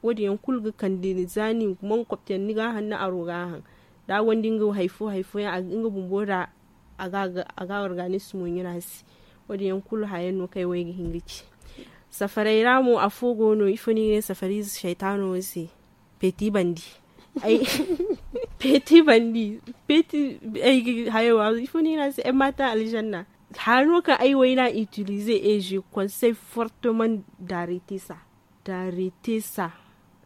Wo- din yaŋ kulu ga kande ni za ni mongu kopteyaŋ ni ga a haŋ ni aro ga a haŋ. Da a gonda nga hari fo hari fo yaŋ nga bumbo da a ga a ga organizmo ɲuna se. Wo- din yaŋ kulu hayaŋ no kaŋ ay wo ay ga hin ga ci. Safaray ra mo afo go no ifo no i ga ne safariize saytaano wo se. Peti bandi. Peti bandi. Peti. Ay ga hayo wa ifo no i ga ne a se ay ma ta alzanna. Hano kaŋ ay wo ay na itilize eje konsey fortement darete sa. Darete sa.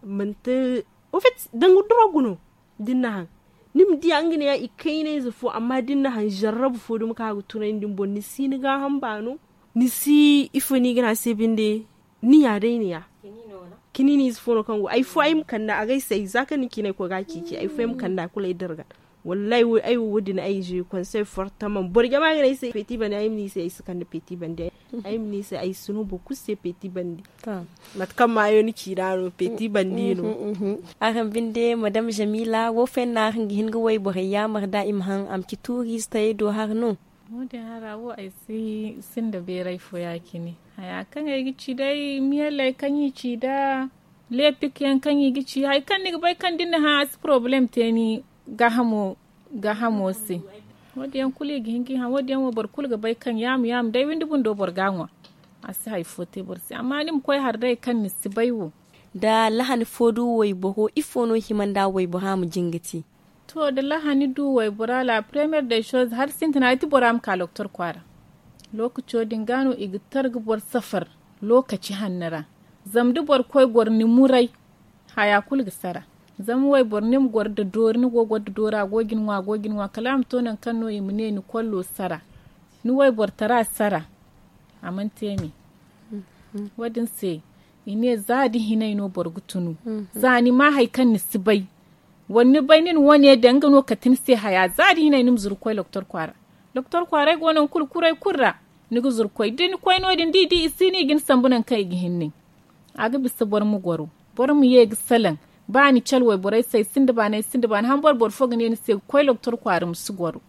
Manti ofet danga drogu no. Da ni na haŋ ni ma diya nga ne ya i kaynayze fo amma da ni na haŋ zarrabu fo duma kaŋ a ga tunay ni din boŋ ni si ni gaaham baano. Ni si ifo no i ga ne a se binde. Ni ya day ni ya. Kiniiniize fo no kaŋ go hari fo ay ma kande a ga ay se ay za kaŋ ni ciinay koy ga a ciici hari fo ay ma kande a kulu ay darga. Wallahi ay wo wo- din ay je konsey fortement boro jama ga ne ay se peti bandi ay ma ne i se ay si kande peti bandi. Ay ma ne i se ay si no boro kulu se peti bandi. Mate kaŋ maayo ni ci da no peti bandi no. Araŋ binde madam jamila wo fenna araŋ ga hin ga wayborey yaamar da i ma haŋ a ma ci tuuriize tayey do har no? Wo- din hara wo ay si sinda beeray fo ya- cine. Haya kaŋ ay ga ci day miyalley kaŋ i ci da Leepik yaŋ kaŋ i ga ci hari kaŋ ni ga bay kaŋ da ni na hã a si porobalem te ni gaahamo se. Wo- din yaŋ kulu i ga hin ga i hã wo- din yaŋ wo boro kulu ga bay kaŋ yaamu yaamu day windi bundo boro ga a ŋwa. A si hari fo te boro se amma ni ma koy hari day kaŋ ni si bay wo. Da lahani fo du wayboro ifo no hima nda waybora ma jin ga te? To da lahani du waybora la premiere de shows hari sintina ay ti bora ma ka loktor kwaara. Lookaco din ga no i ga tar ga boro safar lookaci hanno ra. Zama da boro koy goro ni muray haya kulu ga sara. Zama wayboro ni ma goro da doori ni go goro da doori a go ga ni ŋwa a go ga ni ŋwa kala a ma to nangu kaŋ no i ma ne ni kollo sara. Ni wayboro tara sara. A mana te me. Wo- din se i ne za da hinay no boro ga tunu. Za ni ma hari kaŋ ni si bay wala ni bay nin wane daŋ nga no kate ni se haya za da hinay ni ma zuru ga koy loktor kwaara. Loktor kwaaray go nangu kulu kuray kulu ra. Ni ga zuru ga koy da ni koy no- din da i di i si ni i ga ni sambu nangu kaŋ i ga hin nin. A ga bisa boro ma goro boro ma ye ga salaŋ. Ba ni cale wayborey se ay sinda baani ay sinda baani hambor boro fo ga ne ni se ga koy loktor kwaara ma si goro.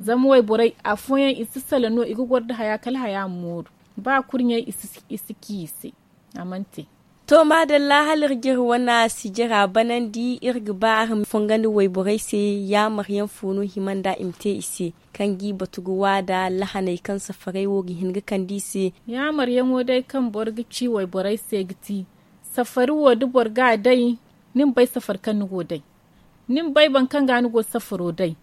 Zama wayborey afooyaŋ i si salaŋ no i ga goro nda haya kala haya ma mooru. Ba kurɲey i si ci i se. A mana te. To maadalla hala iri ga iri wane sijira banandi iri ga ba araŋ ma fongondi wayborey se. Yaamaryaŋ fo no hima nda i ma te i se kaŋ ga i batu ga waada lahaney kaŋ safarey wo ga hin ga kande i se? Yaamaryaŋo day kaŋ boro ga ci wayborey se ga ti safari wo da boro ga a day. Ni ma bay safari kaŋ ni go day. Ni ma bay boro kaŋ ga ni go safaro day.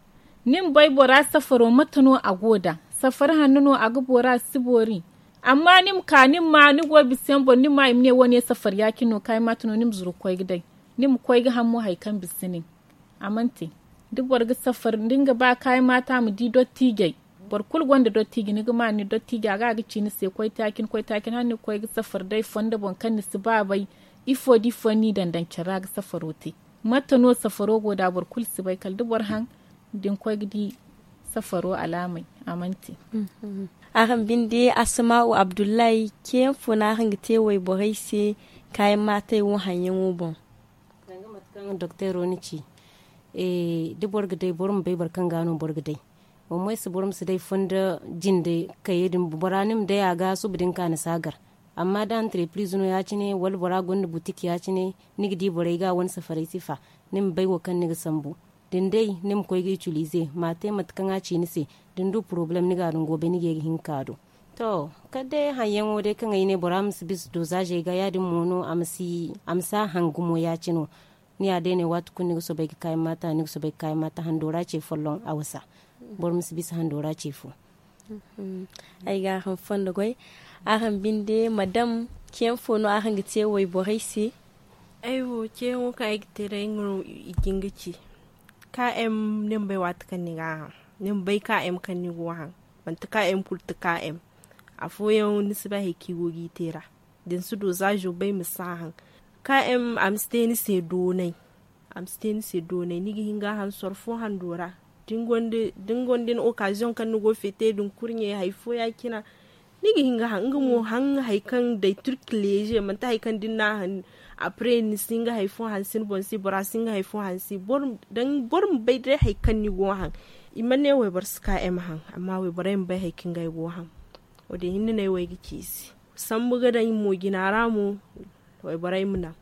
Ni ma bay bora safaro mate no a go nd'a? Safari hanno no a ga boori a si boori. Amma ni ma ka ni ma ma ni go bisa yaŋ boŋ ni ma ma i ma ne wo- ne safari ya- cine no kaayi maata no ni ma zuru ga koy ga day. Ni ma koy ga haŋ mo hari kaŋ bisa nin. A mana te. Da boro ga safari da ni ga ba kaayi maata ma di dottiijey. Boro kulu gonda dottiiji ni ga ma ni dottiija ga a ga ci ni se koy taacin koy taacin hala ni ga koy ga safari day fondo boŋ kaŋ ni si ba bay. Ifo da ifo ni daŋ daŋ care ra ga safaro te? Mate no safaro go nd'a boro kulu si bay kala da boro haŋ da ni koy ga di safaro alaamey. A mana te. Araŋ binde asma'u abdullahi ceeyaŋ fo no araŋ ga te wayborey se? Kaayaŋ maatey wo haŋyaŋo boŋ. Danga mate kaŋ dokteero na ci, da boro ga day boro ma bay boro kaŋ ga no boro ga day. Wammo ay si boro ma si day fondo jinde kayey din bora ni ma day a ga suba din ka ni si a gar. Amma da anterepriz no ya- cine wala bora gonda butik ya- cine, ni ga di borey ga wane safarey sifa. Ni ma bay wo kaŋ ni ga sambu. Da ni day ni ma koy ga itilize ma a te mate kaŋ a ci ni se. Da ni du porobalem ni ga a dungo bay ni ga ye ga hin ga ka do. To, kala day haŋyaŋo day kaŋ ay ne bora ma si bisa dozaazey ga ya- din mo no a ma si a haŋ gumo ya- cine no. Ni ya day ne waati kulu ni ga soobay ga kaayaŋ maata ni ga soobay ga kaayaŋ maata hando ra ce folloŋ a wasa. Boro ma si bisa hando ra ce fo. Ay ga araŋ fondo goy. Araŋ binde madam, ceeyaŋ fo no araŋ ga te wayborey se? Ay wo ceeyaŋo kaŋ ay ga te day nga no i ga hin ga ci. Ka m ni ma bay waati kaŋ ni ga a haŋ, ni ma bay ka m kaŋ ni go ga haŋ. Manti ka m kulu ti ka m. Afooyaŋ ni si bay hari kaŋ i go ga i te ra. Da ni si dozaazo bay ma si a haŋ. Ka m a ma si te ni se doonay. A ma si te ni se doonay ni ga hin ga a haŋ soro fo hando ra. Da ni gonda ni okaaziyoŋ kaŋ ni go ga feete din kurɲey hari fo ya- cine. Ni ga hin ga haŋ nga mo haŋ hari kaŋ day turki leeze manti hari kaŋ da ni na a haŋ. Apre ni si hin ga hari fo hanse ni boŋ se bora si hin ga hari fo hanse. Boro ma bay day hari kaŋ ni go ga haŋ. I mana ne wayboro si ka m haŋ. Amma wayborey ma bay hari kaŋ ga ay go ga haŋ. Wo- din hinne no ay wo ay ga ci i se. Sambu ga daŋ moojina ra mo. Wayborey ma naŋ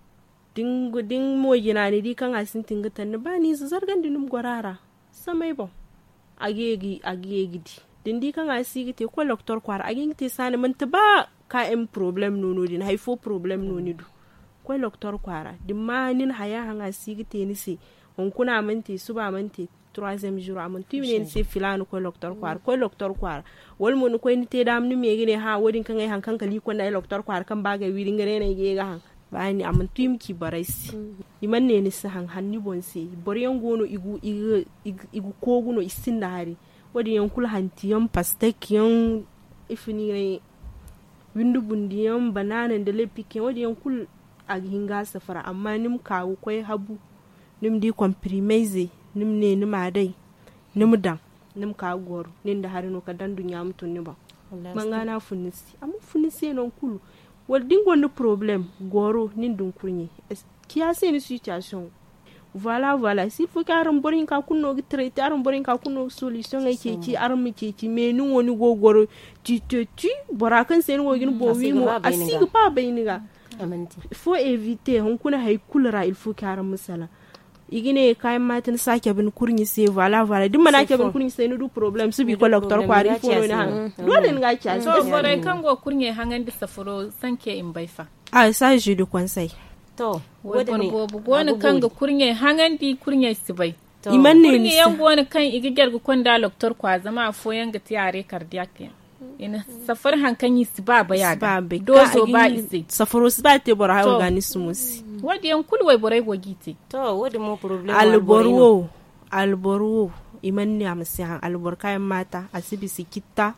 da ni moojina ni di kaŋ a sintin ga taŋ ni ba ni ize zargandi ni ma goro a ra. Samay boŋ a ga ye ga di. Da ni di kaŋ a si ga te koy loktor kwaara a ga hin ga te saani manti ba ka m porobalem no no- din hari fo porobalem no ni du. Koy loktor kwaara da ni ma ni na haya haŋ a si ga te ni se. Hunkuna a mana te suba a mana te. Turaziyem zuru a mana tu i ma ne ni se filaana koy loktor kwaara koy loktor kwaara. Wala mo ni koy ni te daama ni ma ye ga ne hã wo- din kaŋ ay haŋ kaŋ kala i konda ay loktor kwaara kaŋ ba ga ay wiri nga day no ay ga ye ga haŋ. Baani a mana tu i ma ci borey se. I mana ne ni si haŋ hala ni boŋ se. Boro yaŋ go no i ga koogu no i sinda hari. Wo- din yaŋ kulu hanti yaŋ pastek yaŋ, ifa ni ne, windi bundi yaŋ banaana nda lepik yaŋ wo- din yaŋ kulu. A ga hin ga a safara amma ni ma ka ga koy habu. Ni ma di konpirimey ze ni ma ne ni ma a day. Ni ma daŋ ni ma ka ga goro nin da hari no kala da nduɲɲa ma tun ni boŋ. Manga no a fun ni se a mana fun ni se nangu kulu. Wala da ni gonda porobalem goro nin da ni kurɲe. Ciya se ni sitiyasiyoŋ. Voila voila silfo kaŋ araŋ boro hinka kulu no ga tarete araŋ boro hinka kulu no ga solisiyoŋey ceeci araŋ ma ceeci mais ni wo ni go ga goro. Ti te ti bora kaŋ se ni go ga ni boŋ wi mo a si ga ba bay ni ga. Fo evite hunkuna hari kulu ra ilfo kaŋ araŋ ma salaŋ. I ga ne kaayaŋ maati ni si a cabe ni kurɲe se voila voila da ni mana a cabe ni kurɲe se ni du porobalem suba i koy doktor kwaara ifo no ni haŋ. Doole ni ga a ci a si. Borey kaŋ go ga kurɲey haŋandi safaro sanke i ma bay fa? A sazi du konsey. Wayboro boobo go no kaŋ ga kurɲey haŋandi kurɲey si bay. I mana ne ni se. Kurɲe yaŋ go no kaŋ i ga jare ga konda doktor kwaara zama afooyaŋ ga te a re kardiyak yaŋ. I na safari hari kaŋ i si ba bay a ga doozo ba i se. Safaro si ba te boro hayo ga ni sumo se. Wo- din yaŋ kulu wayborey go g'i te. Alboro wo alboro wo i mana ne a ma si haŋ alboro kaayaŋ maata a si bisa citta.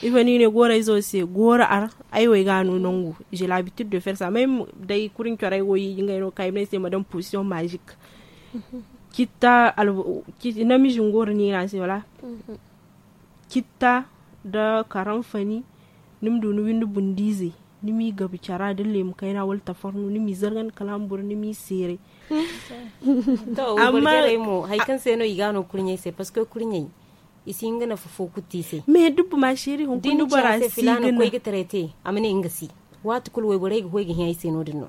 Ifo no i ne gooro izo se gooro ar ay wo ay ga a no nangu. J'ai l'habitude de faire ça même day kurɲe coro ay go i ga ngey no ga ka i ma ne ay se ma daŋ position magique. Citta namize nga wara niira se wala? Citta nda karanfani. Ni ma du ni windi bundiizey ni m'i gabu cara nda leemu kayna wala tafarnu ni m'i zargandi kala hamburu ni m'i seeray. To wayborey jarey mo hari kaŋ se no i ga a no kurɲey se parceque kurɲey i si hin ga nafa fo kulu te i se. Mais dubbu ma seeri hunkuna ni bora si ga nafa. Koy ga taray te a ma ne nga se. Waati kulu wayborey ga koy ga hin ay se no- din no.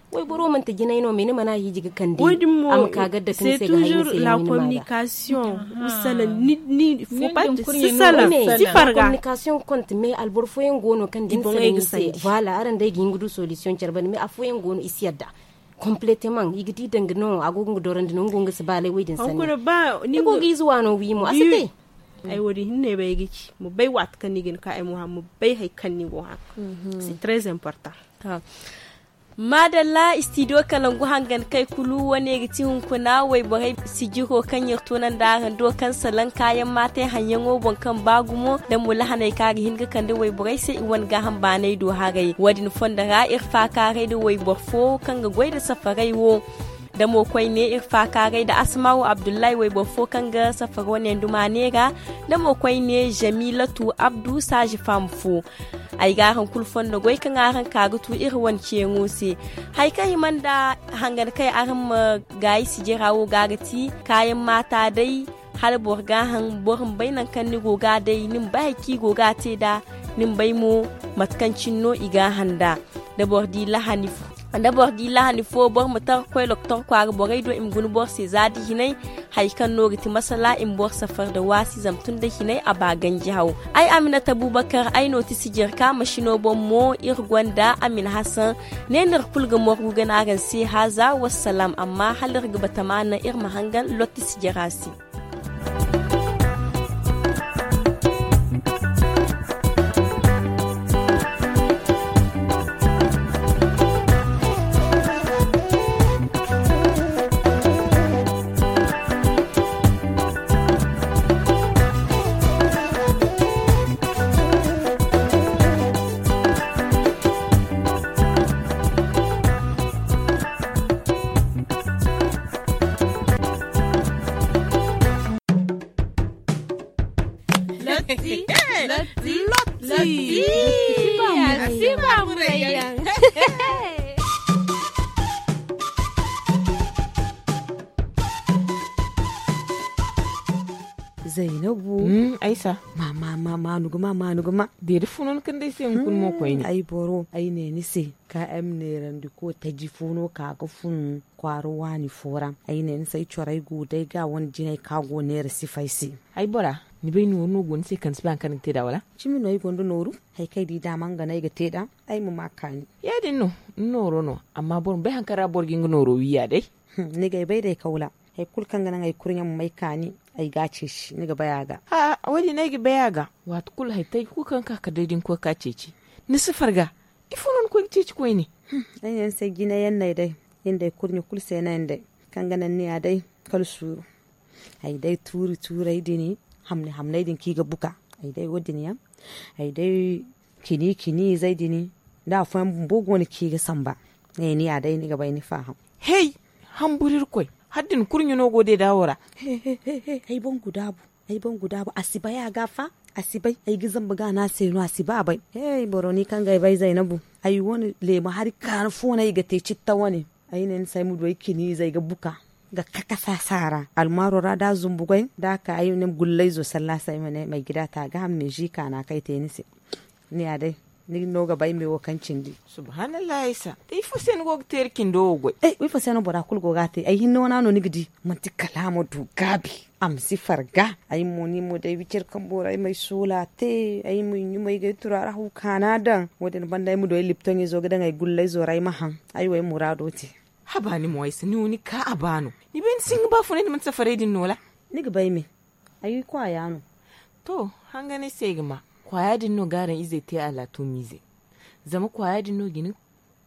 Wayboro manti jinay no mais ni mana a hiiji ga kande a ma ka ga dake ni se ga hay ni se yaŋ windi ma ga. Communication usala ni fo parti si salaŋ si farga. Communication konti mais alboro fooyaŋ go no kaŋ da ni salaŋ ni se. Voilà araŋ day ga hin ga du solution care banda mais afooyaŋ go no i si yadda. Completement i ga di danga no a go ga nga dorandi no nga wo nga si baalay wo- din sanni. Ni go ga ize waano wi mo a si te. Ay wo- din hinne bay ay ga ci ma bay waati kaŋ ni ga ni ka ay mo haŋ ma bay hari kaŋ ni go haŋ. C'est très important. Maadalla studio kalangu hangan kay kulu wane ga ti hunkuna wayborey sijiro kaŋ iri tunandi araŋ do kaŋ salaŋ kaayaŋ maate haŋyaŋo boŋ kaŋ ba gumo da mo lahaney kaŋ a ga hin ga kande wayborey se i wane gaaham baanay do haray wo- din fondo ra iri faakaaray nda wayboro fo kaŋ ga goy nda safaray wo. Da mo koyne iri faakaaray nda asmaawu abdullahi wayboro fo kaŋ ga safaro ne nduma neera. Da mo koyne jamilatu abdu saazi faama fo. Ay ga araŋ kulu fondo goy kaŋ araŋ ka ga tu iri wane ceeŋo se. Hari kaŋ hima nda hangan kaŋ araŋ ma gaayi sijira wo ga ga ti kaayaŋ maata day. Hala boro ga a haŋ boro ma bay nangu kaŋ ni go ga a day ni ma bay hari kaŋ i go ga a te nd'a. Ni ma bay mo mate kaŋ cine no i ga a haŋ nd'a. Da boro di lahani fo boro ma tar ga koy doktor kwaara borey do i ma guna boro se za da hinay. Hari kaŋ no ga ti masala i ma boro safar nda waasi zama tun da hinay a ba ganji haw. Ay aminata bubakar ay no ti sijirka masino boŋ mo iri gonda amina hasan. Ne no iri kulu ga morgu gana araŋ se haaza wassalaam amma hala iri ga batama naŋ iri ma hangan lotti sijira se. Lotti. Lotti. Lotti. Lotti. Lotti. Lotti. Lotti. Zainabu. Aysa. Mama mama nuguma ma nuguma. Deeri funon kan day se hunkun mo koyne. Ay boro ay ne ni se ka ay ma neerandi ko taji funo ka ga fun kwaara waani fo ra. Ay ne ni se ay corey go day ga wane jinay ka go neera sifay se. Ay bora, ni bay nooru no go ni se kala ni si ba hari kaŋ ni ga te nd'a wala? Cimi no ay gonda nooru. Hari kaŋ ay di daama nga no ay ga te nd'a. Ay ma ma kaani. Ya- din no. Ni nooro no. Amma boro ma bay hari kaŋ ra boro ga nga nooro wi ya day. Ni ga ay bay day kawla. Hari kulu kaŋ ga naŋ ay kurɲe ma may kaani. Ay ga a ceeci ni ga bay a ga. Wo- din ay ga bay a ga. Waati kulu hari taji kulu kaŋ ga ka kala day da ni koy ga ka ceeci. Ni si farga. Ifo no ni koy ga ceeci koyne? Ay ne ni se jinayaŋ no ay day. Iri nda ay kurɲe kulu se no ay nda ay kaŋ ga naŋ ni ya day. Kala suuru. Ay day tuuri tuuray din hamni hamnay din kaŋ i ga buka. Ay day wo- din yaŋ. Ay day cini cini izey din. Da afooyaŋ bumbo go no kaŋ i ga samba. Ay ne ni ya day ni ga bay ni faham. Hey. Hamburu irkoy. Hala da ni kurɲe no go deeda wo ra. Ay bangu daabu. Ay bangu daabu a si bay a ga fa. A si bay. Ay ga zamba ga no a se no a si ba bay. Hey boro ni kaŋ ga ay bay zaynabu. Ay wane leemu hari kaanu fo no ay ga te citta wane. Ay ne ni se ay ma du ay cini ize ay ga buka ga kakasa saara almaaro ra da a zumbu goy da a ka ay ne ma gulla izo salla se ay ma ne ma ay ga da a te a ga ham ne zi kaana kaŋ ay te ni se. Ni ya day. Ni no ga bay me wo kaŋ cindi. Subhanallah, isa da ifo se ni go ga teeri cindo wo goy? Ifo se no bora kulu go ga a te? Ay hinne wana no ni ga di. Manti kala a ma du gaabi, a ma si farga. Ay mo ni mo day wicir kambo ra ay ma ay soola te, ay ma ay ɲumay ga ay turaara haw kaana daŋ. Wo- din banda ay ma du ay liptoŋ izo ga daŋ ay gullay zo ra ay ma haŋ. Ay wo ay muraado te. Haba ni mo ay si ni wo ni ka a ba no. Ni bay ni si hin ga baafunay ni manti safaray din no wala? Ni ga bay me. Ay kwaaya no. To, hanganay se ay ga ma. Kwaaya din no ga araŋ izey te alaatumiize. Zama kwaaya din no ga ni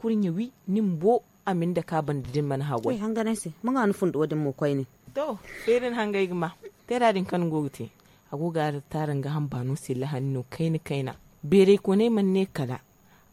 kurɲe wi, ni ma bo a ma ni dake a banda da ni mana haggoy. Hanganay se, ma ŋwa ni fundo din mo koyne. To, feeri ni hangay ga ma. Teera din kaŋ ni go ga te, a go ga araŋ taara nga hamba no se lahani no kayna kayna. Beeray koonay mana ne kala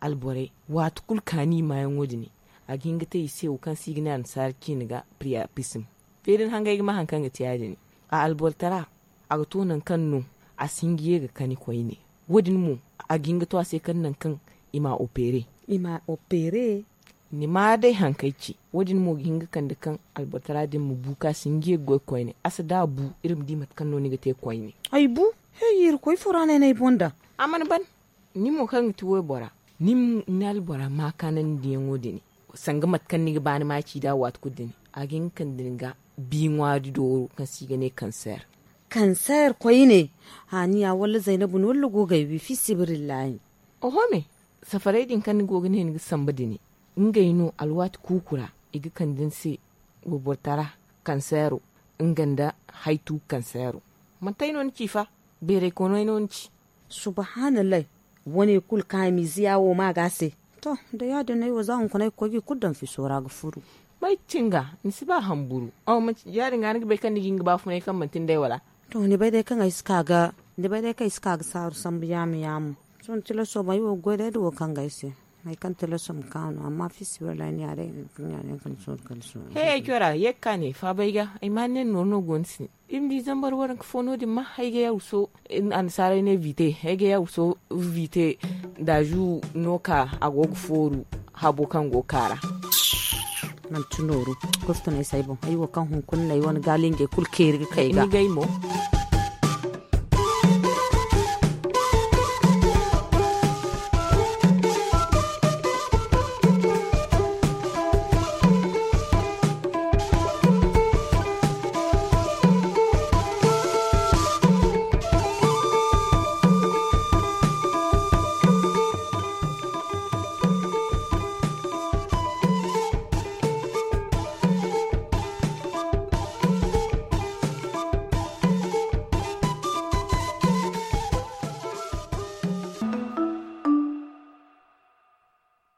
alborey, waati kulu kaani i maayaŋo din, a ga hin ga te i se wo kaŋ se i ga ne annasaara ciine ga priyapisim. Feeri ni hangay ga ma hari kaŋ ga te ya- din. A albortara, a ga to nangu kaŋ no a si hin ga ye ga kani koyne. Wo- din mo, a ga hin ga to a se kaŋ nangu kaŋ i ma a opeere. I ma a opeere. Ni ma day hari kaŋ ay ci. Wo- din mo ga hin ga kande kaŋ albortara din ma bu kaŋ a si hin ga ye ga goy koyne. A si da a bu, iri ma di mate kaŋ no ni ga te koyne. Ay bu. Hey, irkoy fo ra no ay na ay boŋ daŋ. A mana ban. Ni mo kaŋ ga ti waybora, ni ma ni albora ma kaanandiyaŋo din, sanga mate kaŋ ni ga ba ni ma ci nd'a waati kulu din, a ga hin ga kande ni ga bi ŋwaari dooro kaŋ se i ga ne kanseer. Kanseer koyne? Haaniya wala zaynabu no wala go ga ay wi fi sibirillahi. Oho me, safaray din kaŋ ni go ga ne ni ga samba din, ngey no alwaati kuuku ra i ga kande ni se wayboro tara kanseero, nga nda haytu kanseero. Manti ay no ni ci fa, beeray koonay no ni ci. Subhanallay. Wane kulu kaŋ a miiziya wo ma ga se. To, da ya- din no ay wo za hunkuna ay ga koy ga i kulu daŋ fiso ra ga furu. May cinga ni si ba hamburu. Ya- din ga ni ga bay kaŋ ni ga hin ga baafunay kaŋ manti ni day wala? To, ni bay day kaŋ ay si ka ga saaru sambu yaamu yaamu. Sohõ tilaso ma ay wo ga goy day da wo kaŋ ga ay se. Hari kaŋ tilaso ma ka no amma fiisi wallaahi ni ya day. Kaŋ ya day kaŋ ni sohõ kala sohõ. He ay cora ye ga ka ne faaba ay ga, ay ma ni ne nooru no go ni se. Iri ma di zambar waranka fo no- din ma hay ga ya wuso. Annasaarey ne vite hay ga ya wuso. Vite daazu no ka a go ga fooru habo kaŋ go ga ka ra. Manti nooru. Kofta no ay se ay boŋ ay wo kaŋ hunkuna no ay wane gaalinjey kulu keeri ga kay ga. Ni gay mo.